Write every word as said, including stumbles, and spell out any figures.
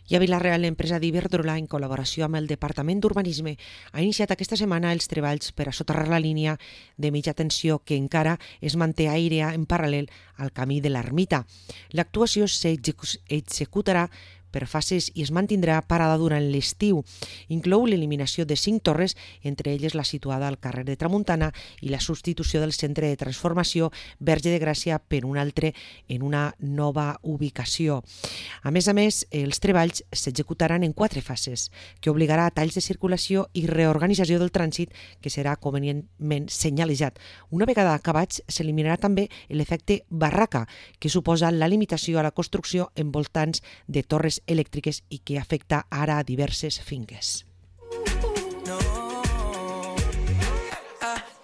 I a Vila-real, l'empresa d'Iberdrola, en col·laboració amb el Departament d'Urbanisme, ha iniciat aquesta setmana els treballs per a soterrar la línia de mitja tensió que encara es manté aèria en paral·lel al camí de l'Ermita. L'actuació s'executarà per fases i es mantindrà parada durant l'estiu. Inclou l'eliminació de cinc torres, entre elles la situada al carrer de Tramuntana, i la substitució del centre de transformació Verge de Gràcia per un altre en una nova ubicació. A més a més, els treballs s'executaran en quatre fases, que obligarà a talls de circulació i reorganització del trànsit que serà convenientment senyalitzat. Una vegada acabats, s'eliminarà també l'efecte barraca, que suposa la limitació a la construcció en voltants de torres elèctriques i que afecta ara a diverses finques.